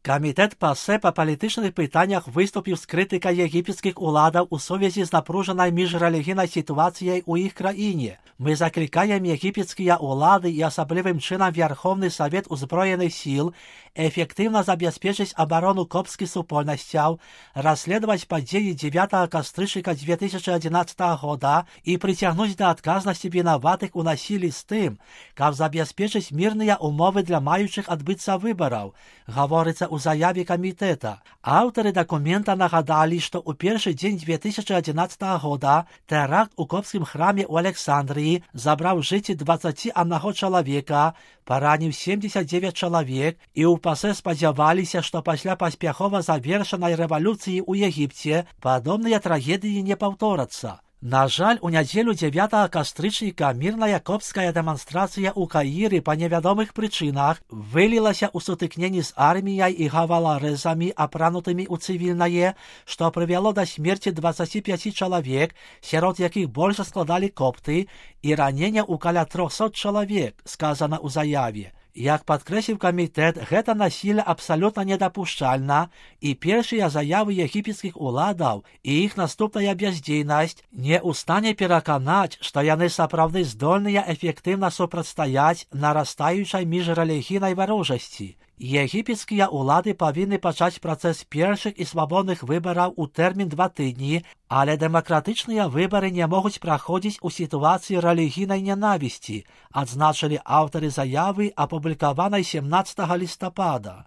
Камітэт ПАСЕ па палітычных пытаннях выступіў з крытыкай егіпецкіх уладаў у сувязі з напружанай міжрэлігійнай сітуацыяй у іх краіне. Мы заклікаем егіпецкія ўлады і асаблівым чынам Верховны Савет Узброеных сіл эфектыўна забяспечыць абарону копцкіх супольнасцяў, расследаваць падзеі 9 кастрычніка 2011 года і прыцягнуць да адказнасці вінаватых у насілі з тым, каб забяспечыць мірныя ўмовы для маючых адбыцца выбараў, гаворыцца ў заяве камітэта. Аўтары дакумента нагадалі, што ў першы дзень 2011 года тэракт у копцкім храме ў Александрыі забраў жыцці 21 чалавека, параніў 79 чалавек, і ў ПАСЕ спадзяваліся, што пасля паспяхова завершанай рэвалюцыі ў Егіпце падобныя трагедыі не паўторацца. На жаль, у нядзелю 9 кастрычніка мірная копцкая дэманстрацыя ў Каіры па невядомых прычынах вылілася ў сутыкненні з арміяй і гаваларэзамі, апранутымі ў цывільнае, што прывяло да смерці 25 чалавек, сярод якіх больш складалі копты, і ранення ў каля 300 чалавек, сказана ў заяве. Як падкрэсліў камітэт, гэта насілле абсалютна недапушчальна, і першыя заявы егіпецкіх уладаў і іх наступная бяздзейнасць не ў стане пераканаць, што яны сапраўды здольныя эфектыўна супрацьстаяць нарастаючай міжрэлігійнай варожасці. Егіпецкія ўлады павінны пачаць працэс першых і свабодных выбараў у тэрмін 2 тыдні, але дэмакратычныя выбары не могуць праходзіць у сітуацыі рэлігійнай нянавісці, адзначылі аўтары заявы, апублікаванай 17 лістапада.